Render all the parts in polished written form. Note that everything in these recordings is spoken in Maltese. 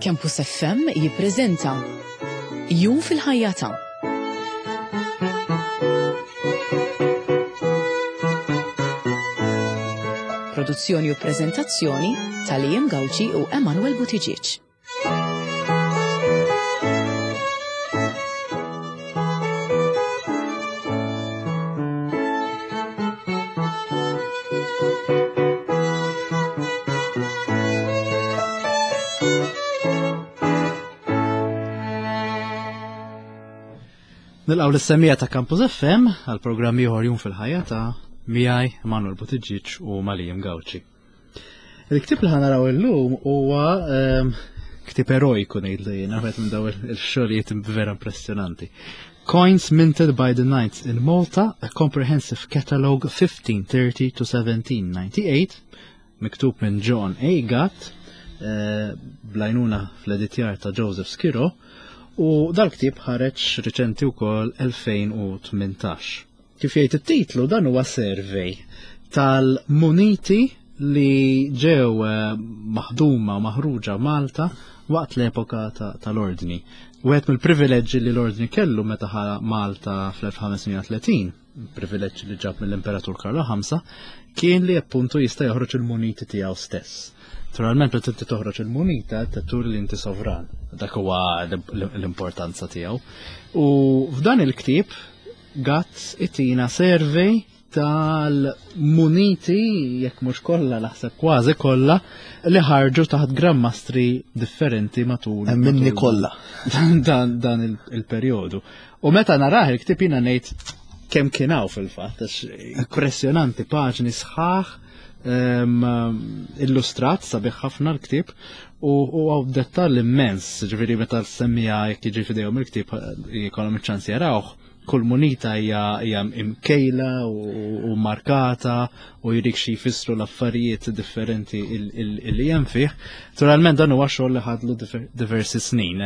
Campus FM jippreżenta Jum fil-ħajja ta' Produzzjoni u preżentazzjoni ta' Liam Gauci u Emanuel Buttigieg. Nilqaw l-semija ta' Campus FM għal programm ieħor jum fil-ħajja ta' miegħi Manuel Buttigieg u Malijim Gawċi. Il-ktib li ħanaraw illum huwa ehm, ktib erojku ngħidlu jiena, wieħed minn daw il-xogħlijiet vera impressjonanti. Coins Minted by the Knights in Malta, a Comprehensive Catalogue 1530 to 1798, miktub minn John A. Gatt, eh, blajnuna fl-editjar ta' Joseph Skiro, u dal-ktib ħareġ riċenti wkoll 2018. Kif jgħid it-titlu dan huwa survey tal-muniti li ġew eh, maħduma u maħruġa Malta waqt l-epoka tal-ordni. Wieħed mill-privileġġi li l-ordni kellu meta ħa Malta fl-1530, privileġġ li ġab mill-Imperatur Karlo V, kien li appuntu jista' joħroġ il-muniti tiegħu stess. Naturalment meta inti toħroġ il-munita tur li inti sovran. Dak huwa l-importanza tiegħu. U f'dan il-ktieb Gatt itina survey tal-muniti, jekk mhux kollha naħseb kważi kollha, li ħarġu taħt grammastri differenti matul. Minni kollha. Dan, dan il-perjodu. U meta narah il-ktib jiena ngħid kemm kien hawn fil-fatt, impressjonanti paġni sħaħ illustrat sabiħ ħafna l-ktib u għaw dettall immens, ġifieri meta semmija jekk jiġi fidejhom il-ktib jkollhom iċ-ċans jarawh, kull munita hija imkejla u markata u jrik xi jfissru l-affarijiet differenti li hemm fih. Naturalment dan huwa xogħol li ħadlu diversi snin.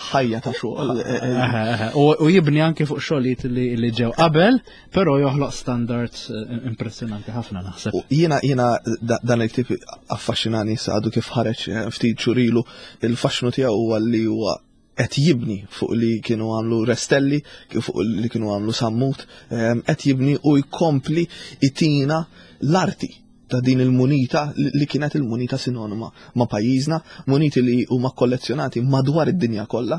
Ħajja ta' xogħol. Eh, eh, eh, u jibni anke fuq xogħlijiet li ġew qabel, Però joħloq standard eh, impressjonanti ħafna naħseb. Jiena jiena dan il-ktib affaxxinani għadu kif ħareġ eh, ftit xurilu il-faxxnu tiegħu huwa li huwa qed jibni fuq li kienu għamlu Restelli, fuq li kienu għamlu Sammut, eh, qed jibni u jkompli itina l-arti ta' din il-munita li kienet il-munita sinonima ma' pajjiżna, muniti li huma kollezzjonati madwar id-dinja kollha,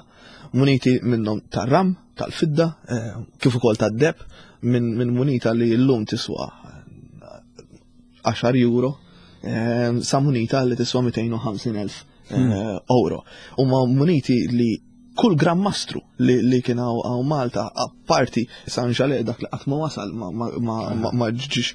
muniti minnhom tar-ram, tal-fidda, eh, kif ukoll tad-deb, minn munita li llum tiswa 10 euro, eh, sa munita li tiswa 250.000 eh, hmm. euro. Huma muniti li kull gran mastru li, li kien hawn Malta, apparti San Ġale dak li qatt ma wasal ma, ma, ma, ma, ma ġiġ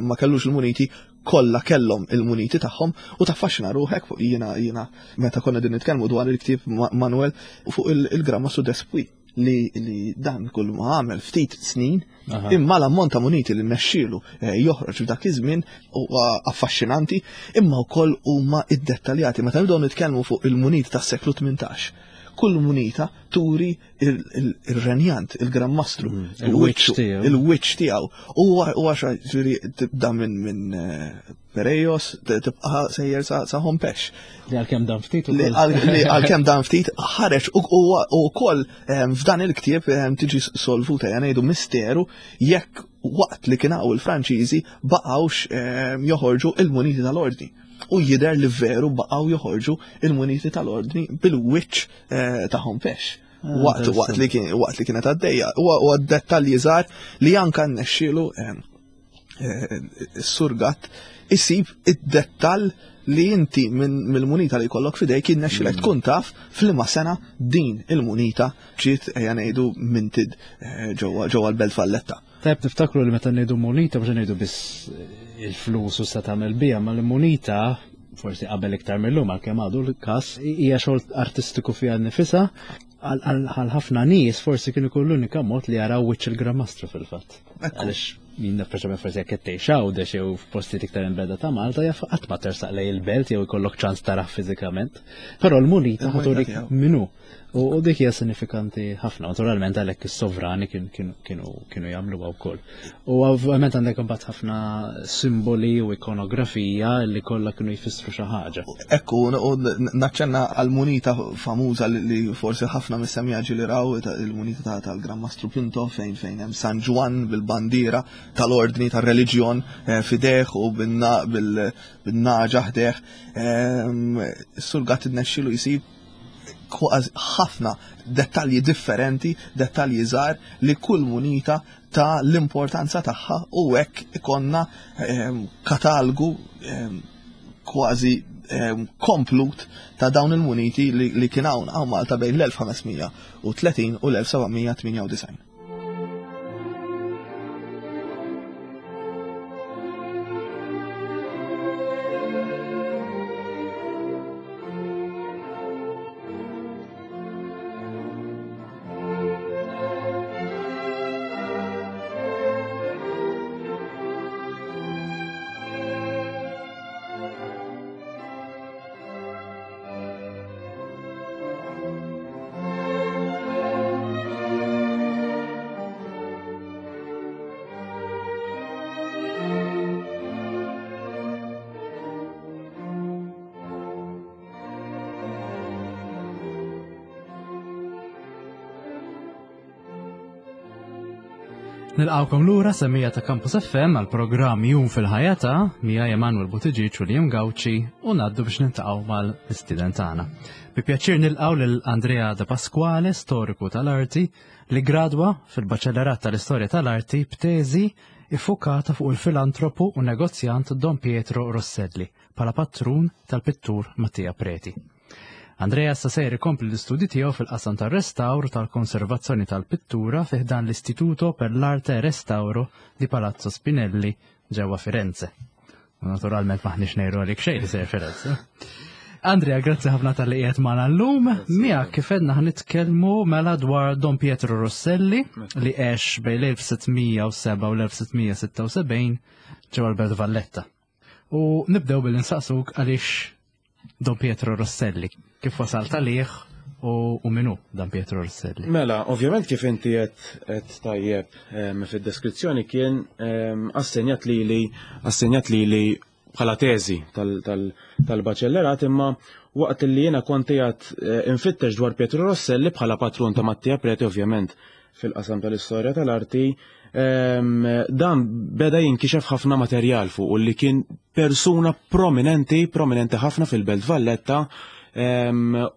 ma kellux il-muniti kollha kellhom il-muniti tagħhom u taffaxxina ruħek fuq jiena jiena meta konna din nitkellmu dwar il-ktieb Manuel fuq il-gramma su Despui li, li dan kull ma għamel ftit snin imma l-ammont ta' muniti li nexxielu eh, joħroġ f'dak iż-żmien huwa affaxxinanti imma wkoll huma iddettaljati meta nibdew nitkellmu fuq il-muniti tas-seklu 18 kull munita turi il-renjant, il-Gran Mastru, mm, il-wiċċ tiegħu. U għaxa ġifieri tibda minn minn eh, Perejos, tibqa' sejjer sa Hompex. Li għalkemm dan ftit Li għalkemm dan ftit ħareġ u wkoll ehm, f'dan il-ktieb ehm, tiġi solvuta ja ngħidu misteru jekk waqt li kien hawn il-Franċiżi baqgħux ehm, joħorġu il-muniti tal-ordni. U jidher li veru baqgħu joħorġu il-muniti tal-ordni bil-wiċċ Eh, ta' Hompex. Ah, waqt waqt li kien waqt li kienet għaddejja. Huwa dettalji żgħar li anka nnexxielu eh, eh, s-surgat isib id-dettall li inti mill-munita li jkollok fidejk jinnexxilek mm. tkun taf f'liema sena din il-munita ġiet ejja ngħidu minted ġewwa l-Belt Valletta. Tajb niftakru li meta ngħidu munita mhux ngħidu biss il-flus u sa tagħmel biha, ma l-munita forsi qabel iktar mill-lum għalkemm għadu l-każ hija xogħol artistiku fiha nnifisha għal ħafna nies forsi kien ikun l-unika mod li jaraw wiċċ il-Gran fil-fatt. Għaliex min naf forsi jekk qed tgħix Għawdex jew f'postijiet iktar imbeda ta' Malta jaf qatt ma tersaq lej il-belt jew ikollok ċans tarah fiżikament. Però l-munita ħaturik minnu. U dik hija sinifikanti ħafna, naturalment għalhekk is-sovrani kienu jagħmluha wkoll. U ovvjament għandek imbagħad ħafna simboli u ikonografija li kollha kienu jfissru xi ħaġa. Ekku, u naċċenna għal-munita famuża li forsi ħafna mis-semija li raw il-munita tal-Gran Mastru Pinto fejn fejn hemm San Ġwann bil-bandiera tal-ordni tar-reliġjon eh, fideh u bin-naġa ħdeh. Ehm, Sur Gatt innexxielu jsib kważi ħafna dettalji differenti, dettalji żgħar li kull munita ta' l-importanza tagħha u hekk ikonna ehm, katalgu ehm, kważi ehm, komplut ta' dawn il-muniti li kien hawn hawn Malta bejn l-1530 u l-1798. Nilqawkom lura semmija ta' Campus FM għal programm Jum fil-ħajja ta' Mija Emanuel Buttigieg u Liam Gauci u ngħaddu biex niltaqgħu mal-istudent tagħna. Bi pjaċir nilqgħu lil Andrea De Pasquale, storiku tal-arti, li gradwa fil-Baċellerat tal-Istorja tal-Arti b'teżi iffukata fuq il-filantropu u negozjant Don Pietro Rosselli bħala patrun tal-pittur Mattia Preti. Andrea issa sejjer ikompli l-istudji tiegħu fil-qasam tar-restawr u tal-konservazzjoni tal-pittura fi ħdan l-Istituto per l'Arte e Restauro di Palazzo Spinelli ġewwa Firenze. U naturalment maħniex ngħidu għalik xejn li sejjer Firenze. Andrea, grazzi ħafna tal-li qiegħed magħna llum. Miegħek kif għedna nitkellmu mela dwar Don Pietro Rosselli li għex bejn l-1607 u l-1676 ġewwa l-Belt Valletta. U nibdew billi nsaqsuk għaliex Don Pietro Rosselli, kif wasalt għalih u minu Don Pietro Rosselli? Mela, ovvjament kif inti qed tajjeb fid-deskrizzjoni kien assenjat lili assenjat lili bħala teżi tal-baċellerat imma waqt li jiena kont qiegħed eh, infittex dwar Pietro Rosselli bħala patrun ta' Mattia Preti ovvjament fil-qasam tal-istorja tal-arti, dan beda jinkixef ħafna materjal fuq u li kien persuna prominenti, prominenti ħafna fil-Belt Valletta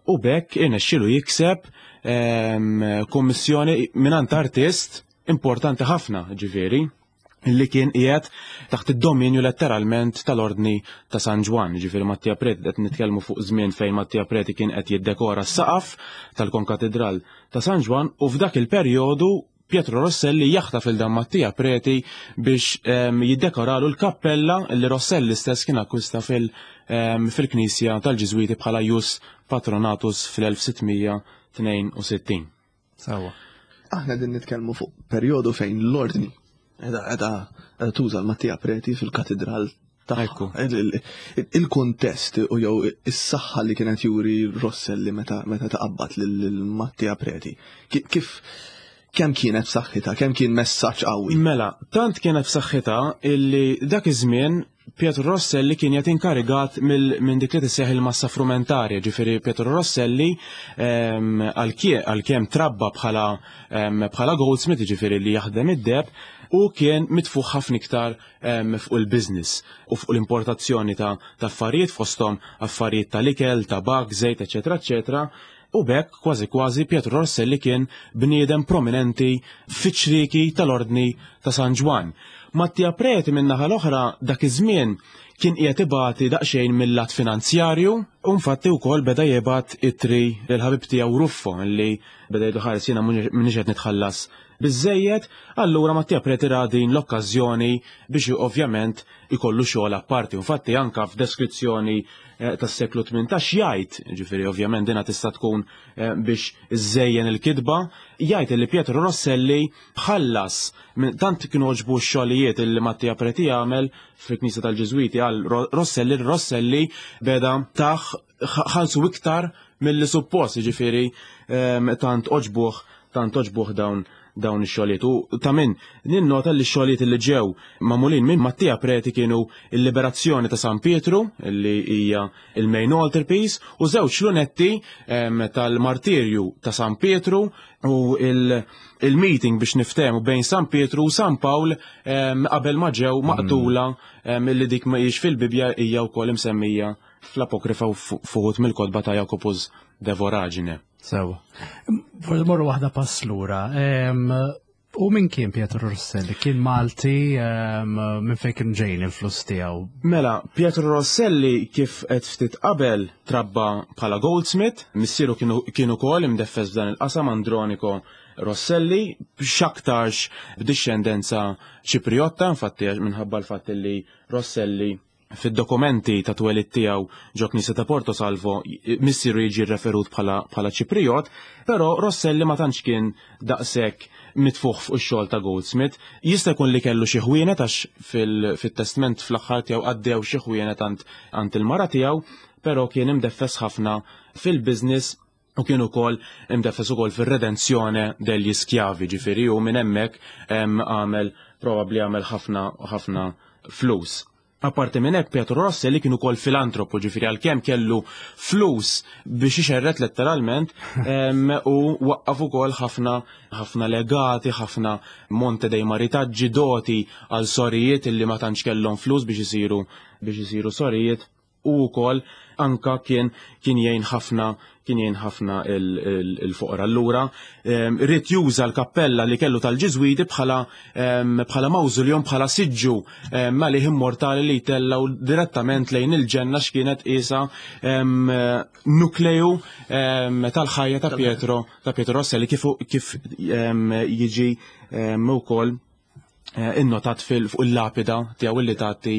u bekk irnexxielu jikseb kummissjoni mingħand artist importanti ħafna ġifieri li kien qiegħed taħt id-dominju letteralment tal-Ordni ta' San Ġwann, ġifieri Mattia Preti qed nitkellmu fuq żmien fejn Mattia Preti kien qed jiddekora s-saqaf tal-Konkatidral ta' San Ġwann u f'dak il-perjodu Pietro Rosselli jaħtaf il dan Mattia Preti biex ehm, jiddekoralu l-kappella li Rosselli stess kien akkwista ehm, fil-knisja tal-Ġiżwiti bħala Jus Patronatus fl-1662. Sawa. Aħna din nitkellmu fuq perjodu fejn l-ordni edha edha tuża l-Mattia Preti fil-katedral tagħha. Il-kuntest u jew is-saħħa li kienet juri Rosselli meta meta taqabbad lil Mattia Preti. Kif kemm kienet b'saħħitha, kemm kien messaġġ qawwi? Mela, tant kienet b'saħħitha illi dak iż-żmien Pietro Rosselli kien qed inkarigat minn dik li tisseħ il-massa frumentarja, ġifieri Pietro Rosselli ehm, għalkemm trabba bħala ehm, bħala goldsmith, ġifieri li jaħdem id-deb, u kien mitfuħ ħafna iktar ehm, fuq il-business u fuq l-importazzjoni ta' affarijiet fosthom affarijiet tal-ikel, tabak, żejt, eċetera, eċetera. U b'hekk kważi kważi Pietro Rosselli kien bniedem prominenti fiċ-ċrieki tal-Ordni ta' San Ġwann. Mattia Preti min-naħa l-oħra dak iż-żmien kien qiegħed ibati daqsxejn mill-lat finanzjarju u nfatti wkoll beda jibgħat ittri lill-ħabib tiegħu Ruffo li beda jgħidlu ħares jiena m'iniex qed nitħallas biżżejjed, allura Mattia Preti ra din l-okkażjoni biex ovvjament ikollu xogħol apparti. Infatti anka f'deskrizzjoni eh, tas-seklu 18 jgħid, ġifieri ovvjament dina tista' tkun eh, biex iżejjen il-kitba, jgħid li Pietro Rosselli ħallas tant kienu oġbu x-xogħlijiet li Mattia Preti għamel fil-Knisja tal-Ġiżwiti għal Rosselli, Rosselli beda taħ ħalsu iktar milli suppost, jiġifieri tant għoġbuh tant għoġbuh dawn dawn ix-xogħlijiet. U ta' min ninnota li x-xogħlijiet li ġew magħmulin minn Mattia Preti kienu l-Liberazzjoni ta' San Pietru, li hija il-main altarpiece, u żewġ lunetti tal-martirju ta' San Pietru u il-meeting biex niftehmu bejn San Pietru u San Pawl qabel ma ġew maqtula li dik ma hijiex fil-Bibbja hija wkoll imsemmija fl-Apokrifa u fuħut mill-kotba ta' Jacobus de Voragine. Sewa. Forsi morru waħda pass lura. U min kien Pietro Rosselli? Kien Malti minn fejn kien ġejn il-flus tiegħu? Mela, Pietro Rosselli kif qed ftit qabel trabba bħala goldsmith, missieru kien ukoll imdeffes f'dan il-qasam Andronico Rosselli, x'aktarx b'dixxendenza Ċipriotta, infatti minħabba l-fatt li Rosselli fid-dokumenti ta' twelid tiegħu ġo Knisja ta' Porto Salvo missieru jiġi referut bħala Ċipriot, però Rosselli ma tantx kien daqshekk mitfuħ fuq ix-xogħol ta' Goldsmith. Jista' jkun li kellu xi ħwienet għax fit-testment fl-aħħar tiegħu għaddew xi ħwienet għand il-mara tiegħu, però kien imdeffes ħafna fil-business u kien ukoll imdeffes ukoll fir-redenzjone degli schiavi, ġifieri u minn hemmhekk għamel probabbli għamel ħafna ħafna flus. Apparti minn hekk Pietro Rosselli kien ukoll filantropu, ġifieri għalkemm kellu flus biex ixerret letteralment u waqqaf ukoll ħafna ħafna legati, ħafna monte dei maritaġġi, doti għal sorijiet illi ma tantx kellhom flus biex isiru biex isiru sorijiet. u wkoll anka kien kien jgħin ħafna kien jgħin ħafna il-foqra. Allura ried juża l-kappella li kellu tal-Ġiżwiti bħala bħala mawżuljum bħala siġġu għalih immortali li jtellgħu direttament lejn il-ġenna x'kienet qisha nukleju tal-ħajja ta' Pietro ta' Pietro Rosselli kif kif jiġi wkoll Eh, innotat fuq il-lapida tiegħu illi tagħti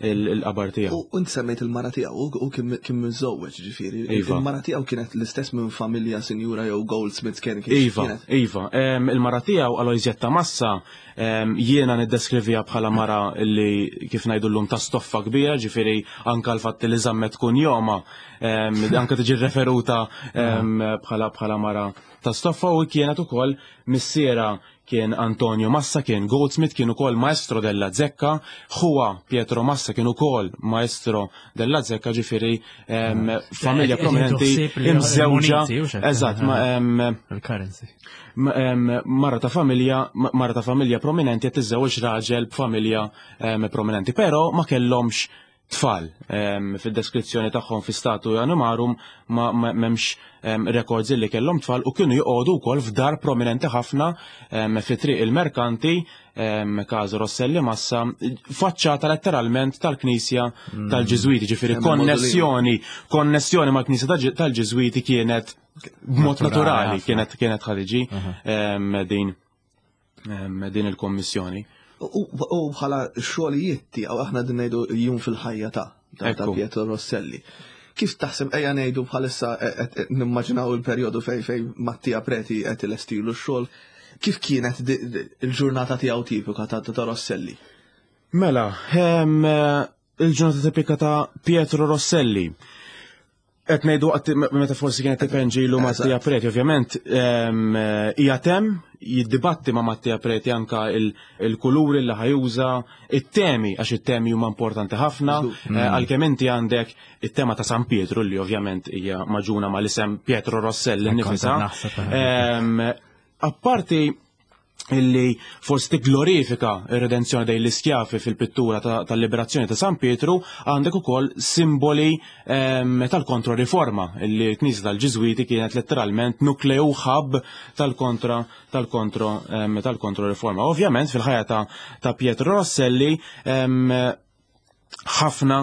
l-qabar tiegħu. U int semmejt il-mara tiegħu u kien miżżewweġ ġifieri. Iva. Il-mara tiegħu kienet l-istess minn familja sinjura jew goldsmith kien Iva, iva. Il-mara tiegħu Aloysietta Massa jiena niddeskrivija bħala mara li kif ngħidu llum ta' stoffa kbira, ġifieri anka l-fatt li żammet kun joma, anka tiġi referuta bħala bħala mara ta' stoffa u kienet ukoll missiera Kien Antonio Massa, kien goldsmith, kien ukoll maestro della zecca, ħuha Pietro Massa kien ukoll maestro della zecca, ġifieri familja prominenti imżewġa. Eżatt, mara ta' familja, mara ta' familja prominenti qed tiżżewweġ raġel b'familja prominenti, però ma kellhomx tfal. Fid-deskrizzjoni tagħhom fi statu animarum ma m'hemmx records li kellhom tfal u kienu joqogħdu wkoll f'dar prominenti ħafna fi triq il-Merkanti, Casa Rosselli Massa, faċċata letteralment tal-Knisja mm. tal-Ġiżwiti, ġifieri konnessjoni, konnessjoni mal-Knisja tal-Ġiżwiti kienet b'mod naturali kienet kienet ħadiġi din din il-kommissjoni. U bħala xogħlijiet tiegħu aħna din ngħidu jum fil-ħajja ta' ta' Pietro Rosselli. Kif taħseb ejja ngħidu bħalissa e, e, e, nimmaġinaw il-perjodu fej fej Mattia Preti qed ilestilu x-xogħol, kif kienet il-ġurnata tiegħu tipika ta' Rosselli? Mela, il-ġurnata tipika ta' Pietro Rosselli. Qed ngħidu waqt meta forsi kienet tipenġilu Mattia Preti, ovvjament hija tem jiddibatti ma' Mattia Preti anka il-kuluri li ħajuża, it-temi għax it-temi huma importanti ħafna, mm. eh, għalkemm inti għandek it-tema ta' San Pietru li ovvjament hija maġuna mal-isem Pietro Rosselli nifisa. Eh. Apparti illi forsi tigglorifika ir-redenzjoni dejn l-iskjafi fil-pittura tal-liberazzjoni ta' San Pietru, għandek ukoll simboli ehm, tal-kontroriforma illi l-Knisja tal-Ġiżwiti kienet letteralment nukleu ħab tal-kontra tal-kontro ehm, tal-kontroriforma. Ovvjament fil-ħajja ta', Pietro Rosselli ehm, ħafna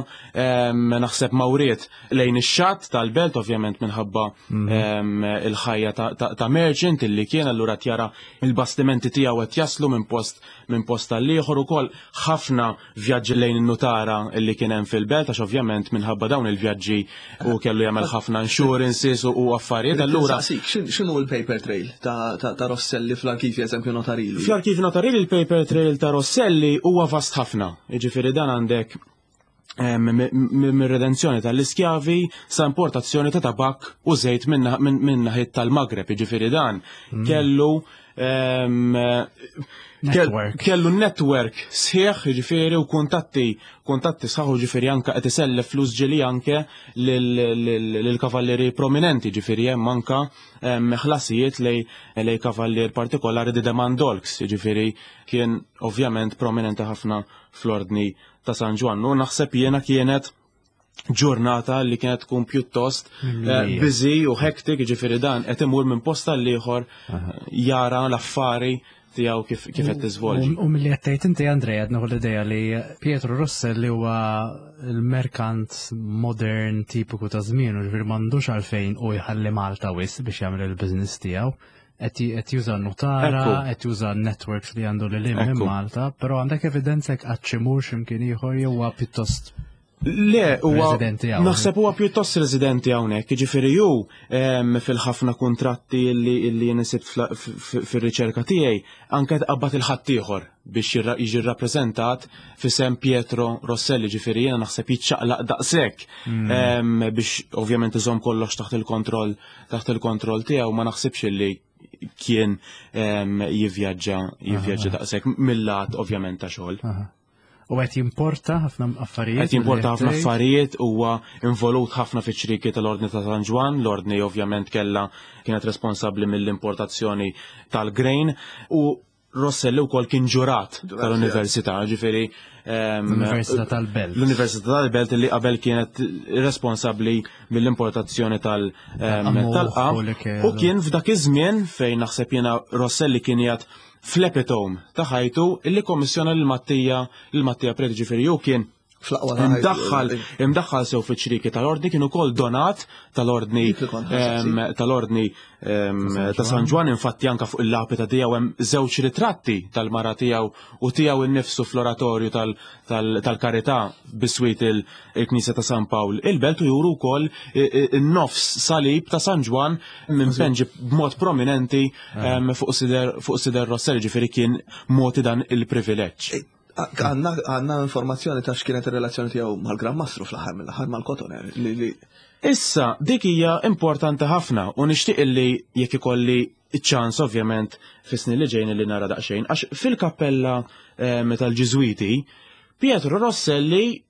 naħseb mawriet lejn ix-xatt tal-belt ovvjament minħabba mhm. il-ħajja ta' merchant illi kien allura tjara il-bastimenti tiegħu qed jaslu minn post minn post tal-ieħor ukoll ħafna vjaġġi lejn in-nutara illi kien hemm fil-belt għax ovvjament minħabba dawn il-vjaġġi u kellu jagħmel ħafna insurances u affarijiet allura. X'inhu l-paper trail ta' Rosselli fl-arkivji eżempju notarili? Fl-arkivji notarili il-paper trail ta' Rosselli huwa vast ħafna. Jiġifieri dan għandek Mir-redenzjoni tal-iskjavi sa importazzjoni ta' tabak u żejt minn naħiet tal-Magreb, jiġifieri dan kellu kellu network sħiħ, jiġifieri u kuntatti kuntatti sħaħ u ġifieri anke qed isellef flus ġieli anke lill-kavallieri prominenti, ġifieri hemm anke ħlasijiet lej kavallier partikolari di Demandolx, jiġifieri kien ovvjament prominenti ħafna fl-ordni ta' San Ġwann. U naħseb jiena kienet ġurnata li kienet tkun pjuttost eh, busy u hectic, ġifieri dan qed imur minn posta l ieħor jara l-affari tiegħu kif kif qed tiżvolġi. U milli qed tgħid inti Andrea qed nieħu l-idea li Pietro Russell li huwa l-merkant modern tipiku ta' żmienu, ġifieri m'għandux għalfejn u jħalli Malta wisq biex jagħmel il-business tiegħu. Qed juża notara, qed juża networks li għandu lil minn Malta, però għandek evidenza jekk qatt xi mur x'imkien ieħor jew huwa pjuttost Le, huwa naħseb huwa pjuttost residenti hawnhekk, jiġifieri hu fil-ħafna kuntratti li li nisibt fir-riċerka tiegħi anke tqabbad il-ħaddieħor biex jiġi rrappreżentat f'isem Pietro Rosselli, ġifieri jiena naħseb jiċċaqlaq daqshekk biex ovvjament iżomm kollox taħt il-kontroll taħt il-kontroll tiegħu ma naħsibx li kien jivvjaġġa jivvjaġġa daqshekk mill-lat ovvjament ta' xogħol. U qed jimporta ħafna affarijiet. Qed jimporta ħafna affarijiet huwa involut ħafna fiċ-ċrieki tal-Ordni ta' San Ġwann, l-Ordni ovvjament kellha kienet responsabbli mill-importazzjoni tal-grain u Rosselli wkoll kien ġurat tal-Università, ġifieri l-Università tal-Belt. L-Università tal-Belt li qabel kienet responsabbli mill-importazzjoni tal-qam. U kien f'dak iż-żmien fejn naħseb jiena Rosselli kien jgħid fl-epitome ta' ħajtu illi kommissjona lil Mattija lil Mattija Preti ġifieri hu kien imdaħħal imdaħħal sew fiċ-ċrieki tal-ordni kien ukoll donat tal-ordni tal-ordni ta' San Ġwann infatti anka fuq il-lapida tiegħu hemm żewġ ritratti tal-mara tiegħu u tiegħu innifsu fl-oratorju tal-Karità biswit il-Knisja ta' San Pawl il-Belt u juru wkoll in-nofs salib ta' San Ġwann minn b'mod prominenti fuq sider fuq sider Rosselli ġifieri kien mogħti dan il-privileġġ. Għandna informazzjoni ta' x'kienet ir-relazzjoni tiegħu mal-Gran Mastru fl-aħħar mill-aħħar mal-Cotoner li Issa, dik hija importanti ħafna u nixtieq illi jekk ikolli ċ-ċans ovvjament fis-snin li ġejjin li nara daqsxejn għax fil-kappella tal-Ġiżwiti Pietro Rosselli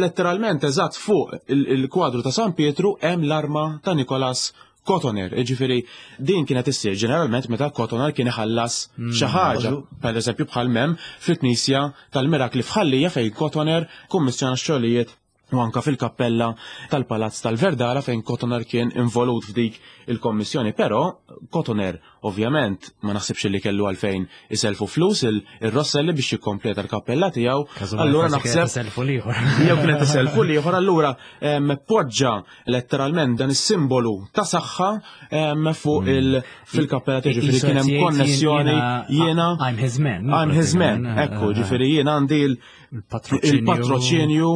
letteralment eżatt fuq il-kwadru ta' San Pietru hemm l-arma ta' Nikolas Cotoner, jiġifieri din kienet issir ġeneralment meta Cotoner kien iħallas xi ħaġa, pereżempju bħal mem fil-Knisja tal-Mirakli f'Ħal-Lija fejn Cotoner kummissjona x-xogħlijiet u anka fil-kappella tal-Palazz tal-Verdala fejn Cotoner kien involut f'dik il-kommissjoni. Però Cotoner ovvjament ma naħsibx li kellu għalfejn iselfu flus il-Rosselli biex jikkompleta l-kappella tiegħu. Allura naħseb iselfu l-ieħor. Jew kienet iselfu l-ieħor, allura poġġa letteralment dan is-simbolu ta' saħħa fuq il fil-kappella tiegħu, ġifieri kien hemm konnessjoni jiena I'm his man. I'm his man, ekku, ġifieri jiena għandi il-patroċinju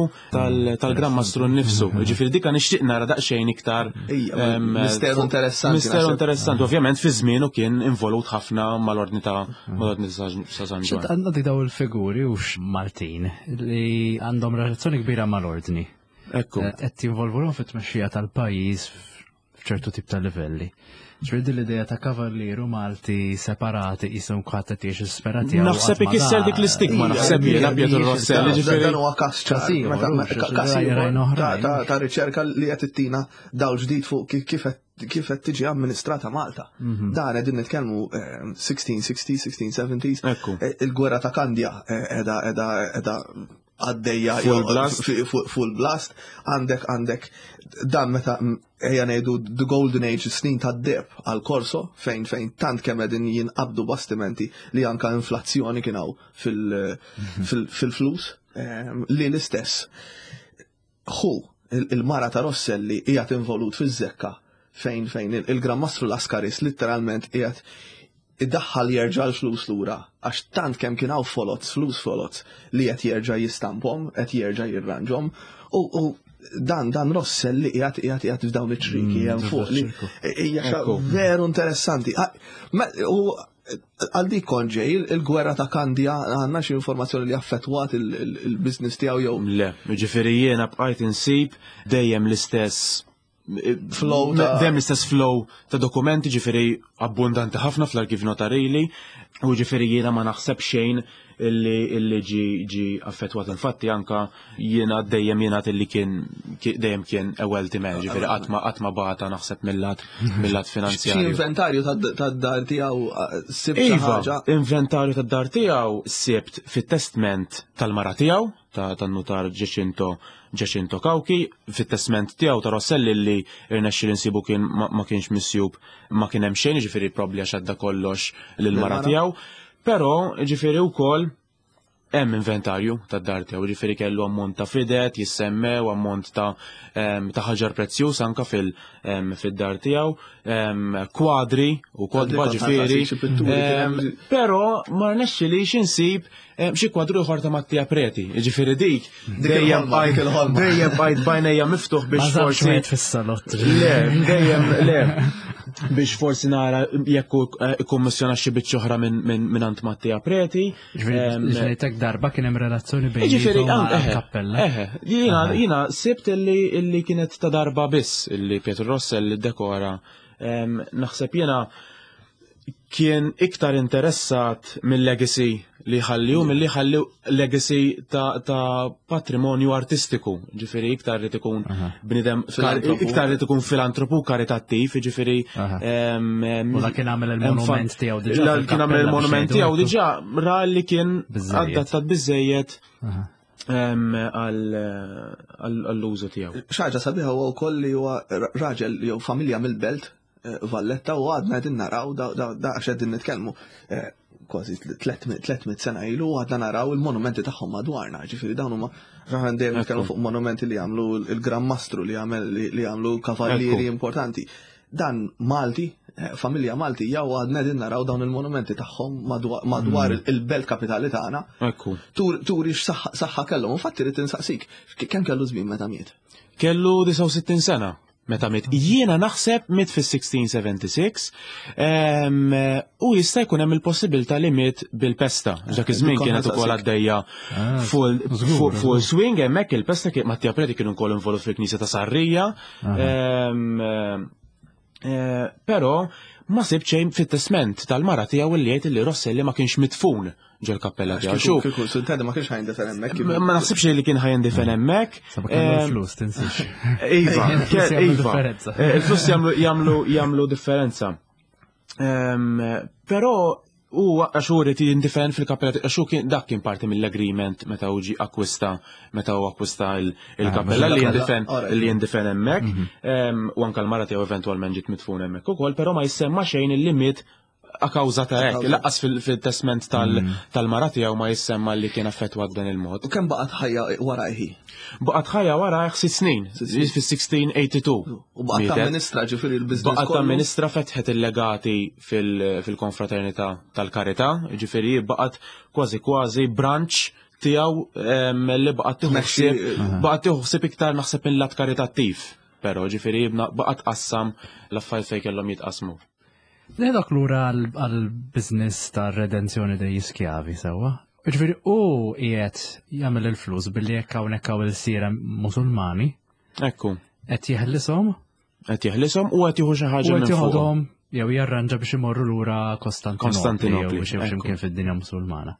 tal-Gran Mastru nnifsu. Ġifieri dika nixtieq nara daqsxejn iktar. Misteru interessanti. Misteru interessanti. Ovvjament fi żmienu kien involut ħafna mal-ordni ta' mal-ordni ta' San Ġwann. Għandna daw il-figuri u Maltin li għandhom relazzjoni kbira mal-ordni. Ekku. Qed jinvolvuhom fit-tmexxija tal-pajjiż f'ċertu tip ta' livelli. Ġifieri din l-idea ta' kavallieri Malti separati qishom kulħadd qed jgħix is-sfera tiegħu. Naħseb ikisser dik l-istigma, naħseb jiena Pietro Rosselli, ġifieri. Dan huwa każ ċar, każ ta' riċerka li qed ittina dawl ġdid fuq kif kif qed tiġi amministrata Malta. Dan qegħdin nitkellmu 1660, 1670s. Il-gwerra ta' Kandja qiegħda qiegħda qiegħda għaddejja full blast. Full blast. Għandek għandek dan meta ejja ngħidu the golden age snin tad-deheb għal Corso fejn fejn tant kemm qegħdin jinqabdu bastimenti li anka inflazzjoni kien hawn fil-flus li l-istess. Hu il-mara ta' Rosselli qiegħed involut fiż-zekka fejn fejn il-Gran Mastru Lascaris letteralment qiegħed iddaħħal jerġa' l-flus lura għax tant kemm kien hawn folots, flus folots li qed jerġa' jistamphom, qed jerġa' jirranġhom u dan dan Rosselli qiegħed qiegħed qiegħed f'dawn iċ-ċriki hemm fuq li hija veru interessanti. U Għal dik kont ġej, il-gwerra ta' Kandja għandna xi informazzjoni li affettwat il-business tiegħu jew. Le, ġifieri jiena bqajt insib dejjem l-istess flow ta' dejjem l-istess flow ta' dokumenti ġifieri abbundanti ħafna fl-arkiv notarili u ġifieri jiena ma naħseb xejn illi illi ġi ġi affettwat infatti anka jiena dejjem jiena illi kien dejjem kien a wealthy man, ġifieri qatt ma qatt ma bata naħseb mill-lat mill-lat finanzjarju. Xi inventarju tad-dar tiegħu sibt xi iva, ħaġa? Inventarju tad-dar tiegħu sibt fit-testment tal-mara tiegħu tan-nutar Giacinto Giacinto Cauchi, fit-testment tiegħu ta' Rosselli li rnexxieli nsibu kien ma kienx misjub ma kien hemm xejn, ġifieri probabbli għax għadda kollox lill-mara tiegħu. Però, ġifieri wkoll hemm inventarju tad-dar tiegħu, ġifieri kellu ammont ta' fidet jissemmew, ammont ta' ta' ħaġar prezzjuż anka fil fid-dar tiegħu, kwadri u kotba ġifieri. Però ma rnexxilix insib xi kwadru ieħor ta' Mattia Preti, ġifieri dik dejjem bqajt dejjem bqajt b'għajnejja miftuħ biex forsi. fis-salott. Le, dejjem le. Biex forsi nara jekk eh, ikkummissjona xi biċċa oħra minn ant Mattia Preti. Ġifieri tek darba kien hemm relazzjoni bejn Ġifieri kappella. Eħe, jiena sibt illi kienet ta' darba biss illi Pietro Rossell dekora. Naħseb jiena kien iktar interessat mill-legacy li ħalli u milli ħalli legacy ta', ta patrimonju artistiku, ġifiri iktar li ikun bnidem, iktar li ikun filantropu karitattiv, ġifiri. U la kien għamel il-monument tiegħu diġà. La kien għamel il-monument tiegħu diġà ra li kien adattat biżejjed għall-użu tiegħu. Xaġa sabiħa huwa wkoll li huwa raġel jew familja mill-belt eh, Valletta u għadna qegħdin naraw da għax qegħdin nitkellmu eh, kważi 300 sena ilu għadna naraw il-monumenti tagħhom madwarna, ġifieri dawn huma raħan dejjem nitkellmu fuq monumenti li jagħmlu il-Gran Mastru li jagħmel li jagħmlu kavallieri importanti. Dan Malti, eh, familja Malti, jew għadna qegħdin naraw dawn il-monumenti tagħhom madwar mm. il-belt kapitali tagħna. Turi x'saħħa kellhom, infatti rid insaqsik, kemm kellu żmien meta miet? Kellu 69 sena meta miet. Jiena naħseb miet fis-1676 u jista' jkun hemm il-possibilità li miet bil-pesta. Dak iż-żmien kienet ukoll għaddejja ah, full swing hemmhekk il-pesta kien Mattia Preti kienu wkoll involut fil-Knisja ta' Sarrija. Eh, però ma sib xejn fit-testment tal-mara tiegħu li jgħid li Rosselli ma kienx mitfun ġol-kappella tiegħu. Xu. Kieku sultani ma kienx ħajndefen hemmhekk. Ma naħsibx li kien ħajndefen hemmhekk. Sabu kellu l-flus tinsiex. Iva, iva. Eh, il-flus jagħmlu jagħmlu differenza. Ehm, però u għax u rrid jindifen fil-kappella għax kien dak kien parti mill-agreement meta u ġi akkwista meta u akkwista il-kappella li jindifen li jindifen hemmhekk. Mhm. Ehm, u anke l-mara tiegħu eventwalment ġiet mitfun hemmhekk ukoll, però ma jissemma xejn il-limit A kawża ta' hekk, laqqas fil-testment mm. tal-mara tiegħu ma jissemma li kien affettwat b'dan il-mod. U kemm baqgħet ħajja warajh? Baqgħet ħajja warajh sitt snin, fis-1682. U baqgħet amministra ġifieri l-business. Baqgħet amministra fetħet il-legati fil-konfraternità tal-karità, ġifieri baqgħet kważi kważi branch tiegħu li baqgħet tieħu ħsieb baqgħet tieħu ħsieb iktar naħseb mill-lat karitattiv. Però ġifieri baqgħet tqassam l-affarijiet fejn kellhom jitqassmu. Neħdok lura għal-biznis ta' redenzjoni dej iskjavi sewwa. Ġifieri u qiegħed jagħmel il-flus billi jekk hawnhekk hawn il-sira Musulmani. Ekku. Qed jeħlishom. Qed jeħlishom u qed jieħu xi ħaġa minn fuqhom. Jew jarranġa biex imorru lura Kostantinopli jew xi mkien fid-dinja Musulmana.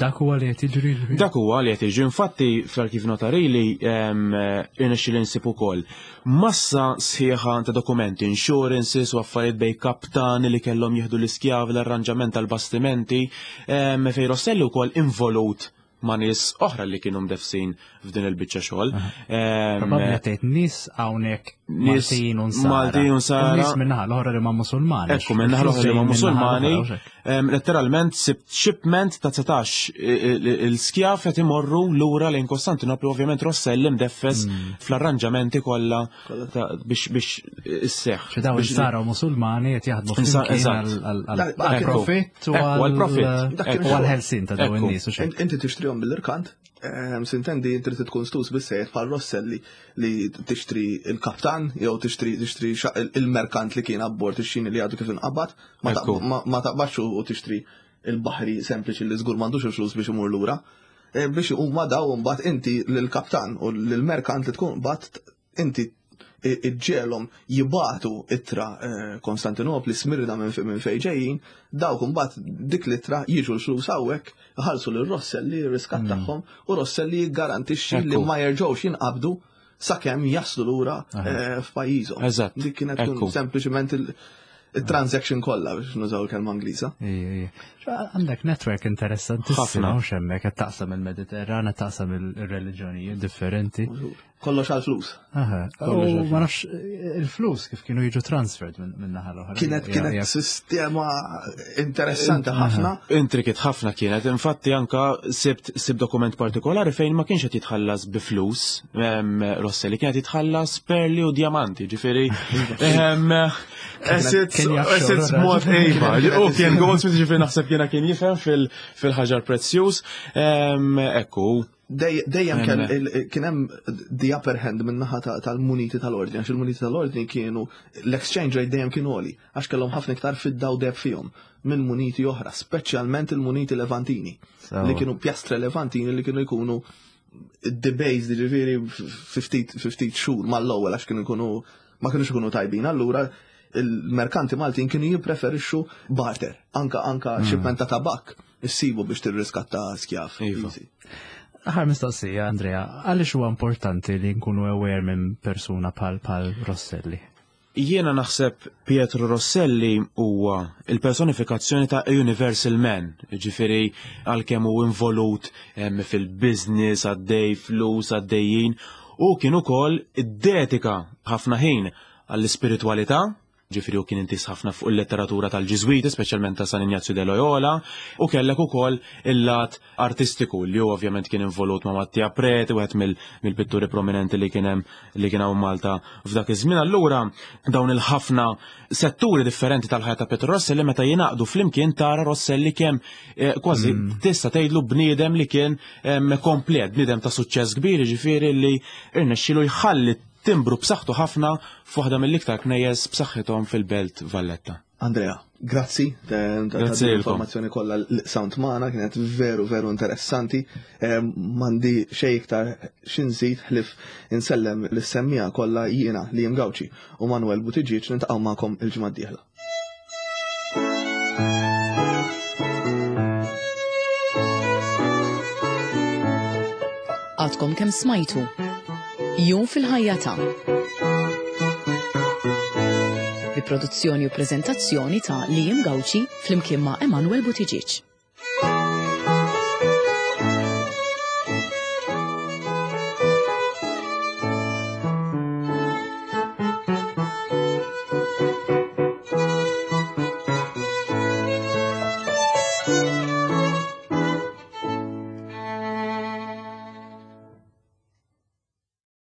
Dak huwa li qed jiġri. Dak huwa li qed jiġri. Infatti fl-arkiv notarili irnexxi li nsib ukoll massa sħiħa ta' dokumenti, insurances u affarijiet bej kaptani li kellhom jieħdu l-iskjavi l-arranġament tal-bastimenti fejn Rosselli wkoll involut ma' nies oħra li kienu mdefsin f'din il-biċċa xogħol. Probabbli tgħid nies hawnhekk Maltin u Nsara. Maltin u Nsara. Nies minnaħa l-oħra li ma' Musulmani. Ekku minnaħa l-oħra li ma' Musulmani. Letteralment sibt shipment ta' 19 il-skjaf qed imorru lura lejn Kostantinopli ovvjament Rosselli mdeffes mm. fl-arranġamenti kollha biex biex isseħħ. Xi dawn Nsara u Musulmani qed jaħdmu flimkien għall-profitt u għall-profitt u għall-ħelsin ta' dawn in-nies. Inti tixtrihom tixtrihom mill-irkant, ehm, sintendi trid tkun stus bissejjed bħal Rosselli li tixtri il-kaptan jew tixtri tixtri il-merkant li kien abbord ix-xini li għadu kif inqabad, ma taqbadx u tixtri il-baħri sempliċi li żgur m'għandux il-flus biex imur lura. Eh, biex huma daw mbagħad inti lill-kaptan u lill-merkant li tkun bat inti iġġelhom jibatu ittra eh, Konstantinopli Smirna minn fejn ġejjin, dawk imbagħad dik l-ittra jiġu l-flus hawnhekk, iħallsu lil Rosselli r-riskat mm. tagħhom u Rosselli jiggarantixxi li ma jerġgħux jinqabdu sakemm jaslu lura eh, f'pajjiżhom. Eżatt. Dik kienet tkun sempliċement il-transaction kollha biex nużaw il-kelma Ingliża. Għandek network interessanti ħafna mhux hemmhekk qed taqsam il-Mediterran, qed taqsam il-reliġjonijiet differenti. Kollox għal flus. U ma nafx il-flus kif kienu jiġu transferred minn naħa l-oħra. Kienet kienet sistema interessanti ħafna. Intrikit ħafna kienet, infatti anka sibt sib dokument partikolari fejn ma kienx qed jitħallas bi flus Rosselli, kienet jitħallas perli u diamanti, ġifieri. Assets mod ejba, u kien goldsmith ġifieri naħseb jiena kien jifhem fil-ħaġar prezzjuż. Ekku, Dejjem kien hemm the upper hand minn naħa tal-muniti tal-ordni, għax il-muniti tal-ordni kienu l-exchange rate dejjem kien għoli, għax kellhom ħafna iktar fidda u deb fihom minn muniti oħra, speċjalment il-muniti levantini, li kienu pjastre levantini li kienu jkunu debased ġifieri 50 xhur mal-ewwel għax kienu jkunu ma kienux ikunu tajbin. Allura il-merkanti Maltin kienu jippreferixxu barter, anka anka hmm. shipment ta' tabak issibu biex tirriskatta skjaf. Iva. Ħar mistoqsija, Andrea, għaliex huwa importanti li nkunu aware minn persuna pal pal Rosselli? Jiena naħseb Pietro Rosselli huwa il-personifikazzjoni ta' Universal Man, ġifiri għalkemm hu involut fil-business, għaddej flus, għaddejjin, u kien ukoll iddedika ħafna ħin għall-ispiritwalità, ġifieri hu kien intiż ħafna fuq il-letteratura tal-Ġiżwiti, speċjalment ta' San Injazju de Loyola, u kellek ukoll il-lat artistiku li hu ovvjament kien involut ma' Mattia Preti, wieħed mill-pitturi prominenti li kien hemm li kien hawn Malta f'dak iż-żmien. Allura dawn il-ħafna setturi differenti tal-ħajja ta' Pietro Rosselli meta jingħaqdu flimkien tara Rosselli kemm eh, kważi mm. tista' tgħidlu bniedem li kien komplet, bniedem ta' suċċess kbir, jiġifieri li irnexxielu jħalli timbru b'saħħtu ħafna f'waħda mill-iktar knejjes b'saħħithom fil-Belt Valletta. Andrea, grazzi ta' informazzjoni kollha l-sound magħna kienet veru veru interessanti. M'għandi xejn iktar x'inżid ħlif insellem lis-semmija kollha jiena li Gawċi u Manuel Buttigieg niltaqgħu magħkom il-ġimgħa d-dieħla. Għadkom kemm smajtu. Jum fil-ħajja ta' bi produzzjoni u preżentazzjoni ta' Liam Gauci flimkien ma' Emanuel Buttigieg.